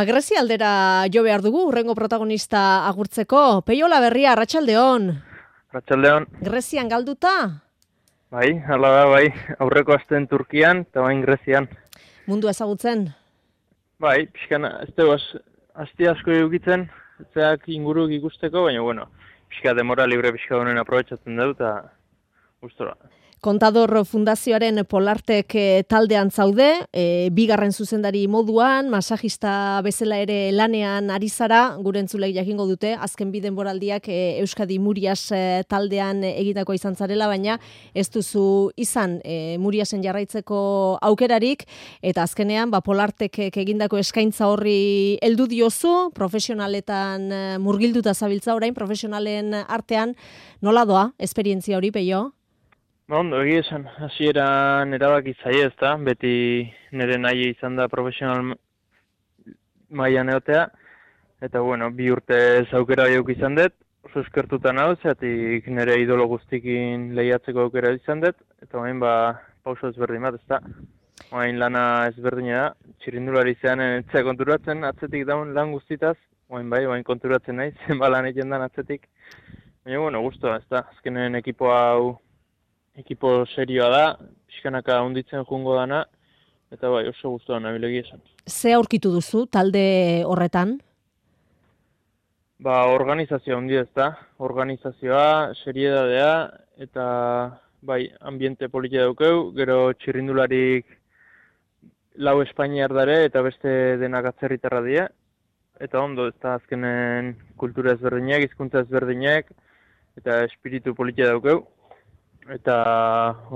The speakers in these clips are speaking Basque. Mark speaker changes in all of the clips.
Speaker 1: Grezia aldera jo behar dugu, hurrengo protagonista agurtzeko. Peio Olaberria, arratsaldeon.
Speaker 2: Arratsaldeon.
Speaker 1: Grezian galduta?
Speaker 2: Bai, hala da, bai. Aurreko astean Turkian, eta bain Grezian.
Speaker 1: Mundu ezagutzen?
Speaker 2: Bai, pixkan, ez dugu, asti asko edukitzen, zeak inguruk ikusteko, baina, bueno, pixka demora libre pixka honen aprobetsatzen dut, eta gustora.
Speaker 1: Kontador Fundazioaren Polartek taldean zaude, bigarren zuzendari moduan, masajista bezala ere lanean ari zara, gure entzulek jakingo dute, azken bi denboraldiak Euskadi Murias taldean egitako izan zarela, baina ez duzu izan Muriasen jarraitzeko aukerarik, eta azkenean Polartek egindako eskaintza horri heldu diozu, profesionaletan murgilduta zabiltza orain, profesionalen artean, nola doa, esperientzia hori, Peio?
Speaker 2: Ondo, egia esan, hasieran erabaki zaie ez da, beti nire nahi izan da profesional mailan egotea, eta bueno, 2 urte aukera jauk izan dut, oso eskertuta nauz, zeatik nire idolo guztikin lehiatzeko aukera izan dut, eta bain pauso ezberdin bat ez da. Bain lana ezberdina da, txirrindulari zean entzea konturatzen, atzetik daun lan guztitaz, bain konturatzen nahi, zenba lan egin dan atzetik. Baina, bueno, guztua ez da, azkenen ekipo serioa da, pixkanaka hunditzen jungo dana, eta bai, oso guztua nabilegi esan.
Speaker 1: Ze aurkitu duzu talde horretan?
Speaker 2: Organizazioa hundi ez da, organizazioa, seriedadea, eta bai, ambiente politia daukeu, gero txirrindularik 4 Espainiar dare, eta beste denak atzerritarra dira, eta ondo, ez da azkenen kultura ezberdinak, hizkuntza ezberdinak, eta espiritu politia daukeu. Eta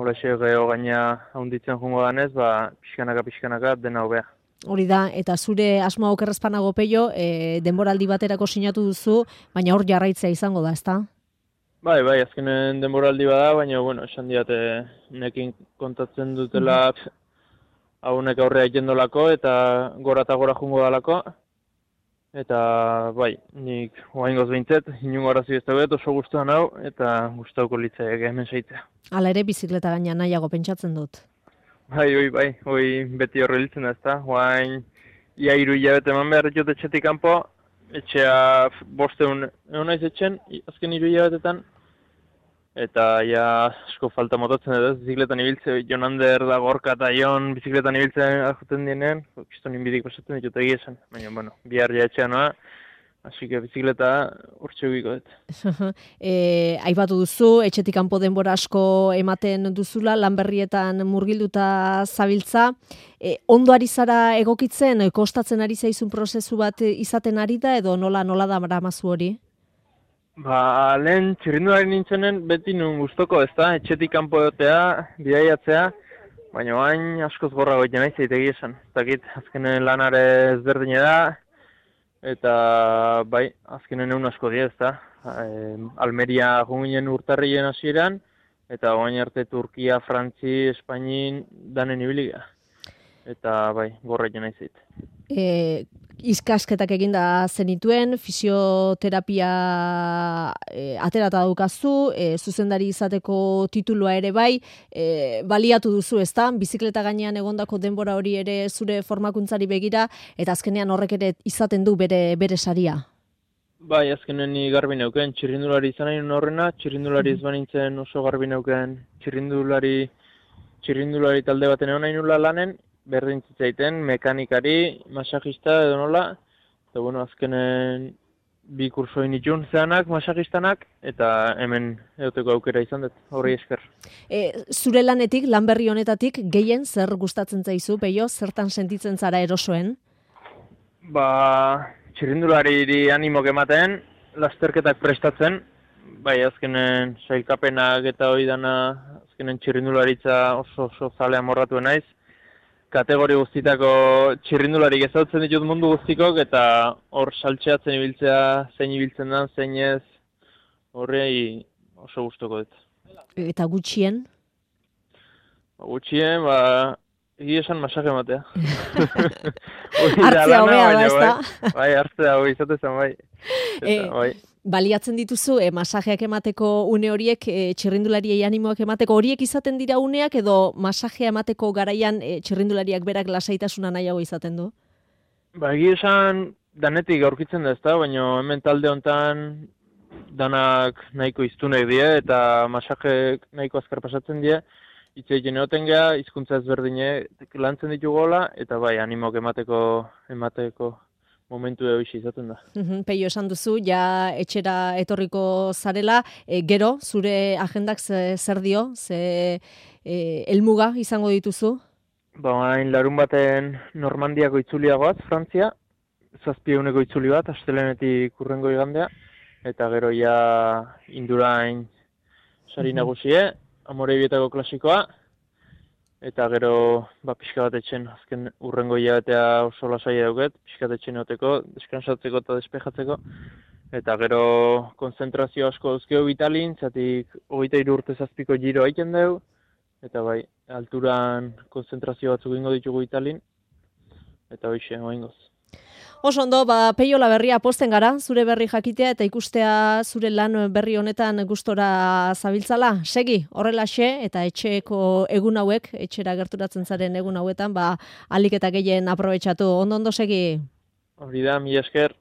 Speaker 2: horrexe geho gaina haunditzen jungo danez, pixkanaka dena hobea.
Speaker 1: Hori da, eta zure asmoa okerrezpanago Peio, denboraldi baterako sinatu duzu, baina hor jarraitzea izango da, ezta?
Speaker 2: Bai, azkenen denboraldi bada, baina, bueno, esan diate nekin kontatzen dutela haunek aurrea ikendolako, eta gora jungo dalako. Eta, bai, nik oaingoz behintzet, inungo arazi ez daudet, oso guztuan hau, eta guztauko litzaiek hemen seitzea.
Speaker 1: Hala ere, bizikleta gaina nahiago pentsatzen dut.
Speaker 2: Bai, beti horre hiltzen da, ezta. Oain, ia 3 hilabete eman behar jot etxetik kanpo, etxea 500 egon naiz etxen, azken 3 hilabetetan, eta ja asko falta motatzen dut, bizikletan ibiltze, Jon Ander da Gorka eta Jon bizikletan ibiltzen ajuten dienean, kiston inbidik pasatzen ditut egia esan, baina, bueno, bihar ja etxean noa, así que bizikleta urtxe ubiko dut.
Speaker 1: Aipatu duzu, etxetik kanpo denbora asko ematen duzula, lanberrietan murgilduta zabiltza, ondo ari zara egokitzen, kostatzen ari zaizun prozesu bat izaten ari da, edo nola da maramazu hori?
Speaker 2: Lehen txirrindulari nintzenen beti nun guztoko ez da, etxetik kanpo egotea, bidaiatzea, baina bain askoz gorra goiten nahi zaitegi esan. Zakit, azkenen lanare ezberdine da, eta bai, azkenen egun asko dira ez da. Almeria junginen urtarrien hasieran, eta bain arte Turkia, Frantzi, Espainin danen ibiliga. Eta bai, gorra egin nahi zait.
Speaker 1: Izkasketak eginda zenituen, fisioterapia aterata daukazu, zuzendari izateko titulua ere bai, baliatu duzu, ezta? Bizikleta gainean egondako denbora hori ere zure formakuntzari begira, eta azkenean horrek ere izaten du bere saria.
Speaker 2: Bai, azkenen ni garbi neuken, txirrindulari izan nahi horrena, txirrindulari ez banintzen oso garbi neuken, txirrindulari talde baten egon nahi nula lanen, berdin zitzaiten, mekanikari, masajista edo nola, eta bueno, azkenen 2 kursoin itxun zeanak, masajistanak, eta hemen egoteko aukera izan dut, horri esker.
Speaker 1: Zure lanetik, lan berri honetatik, gehien zer gustatzen zaizu, Peio, zertan sentitzen zara erosoen?
Speaker 2: Txirrindulariri animok ematen, lasterketak prestatzen, bai azkenen sailkapenak eta hori dana, azkenen txirrindularitza oso zalea morratu naiz, kategori guztitako txirrindularik ezautzen ditut mundu guztikok, eta hor saltxeatzen ibiltzea, zein ibiltzen den, zein ez, horrei oso gustoko dut.
Speaker 1: Eta gutxien?
Speaker 2: Gutxien, egia esan masaje ematea.
Speaker 1: Hartzea hobea da, ez da?
Speaker 2: Bai, hartzea hobea izatezan, bai.
Speaker 1: Baliatzen dituzu, masajeak emateko une horiek, txirrindulariei animoak emateko horiek izaten dira uneak, edo masajea emateko garaian txirrindulariak berak lasaitasuna nahiago izaten du?
Speaker 2: Ba, egia esan, danetik aurkitzen da ezta, baina hemen talde hontan danak nahiko iztunek die eta masajek nahiko azkar pasatzen die. Hitz egiten egoten geha, hizkuntza ezberdinek lantzen ditugola, eta bai, animok emateko momentu hoxe izaten da.
Speaker 1: Peio esan duzu, ja etxera etorriko zarela, gero, zure agendak zer dio, ze helmuga izango dituzu?
Speaker 2: Ba, hain larun baten Normandiako itzuliagoaz, Frantzia, 7 eguneko itzuli bat, astelehenetik hurrengo igandea, eta gero ja Indurain sari nagusie, Amorebietako klasikoa, eta gero pixka bat etxen, azken hurrengo hilabetea oso lasai dauket, pixka bat etxen egoteko, deskansatzeko eta despejatzeko, eta gero konzentrazio asko dauzkeo Italin, zatik 23 urte 7ko giro egiten dugu, eta bai, alturan konzentrazio batzuk ingo ditugu Italin, eta hoxe, oingoz.
Speaker 1: Oso ondo, Peio Laberria posten gara, zure berri jakitea eta ikustea zure lan berri honetan gustora zabiltzala. Segi, horrelaxe eta etxeko egun hauek, etxera gerturatzen zaren egun hauetan, alik eta gehien aprobetxatu. Ondo segi.
Speaker 2: Hori da, mila esker.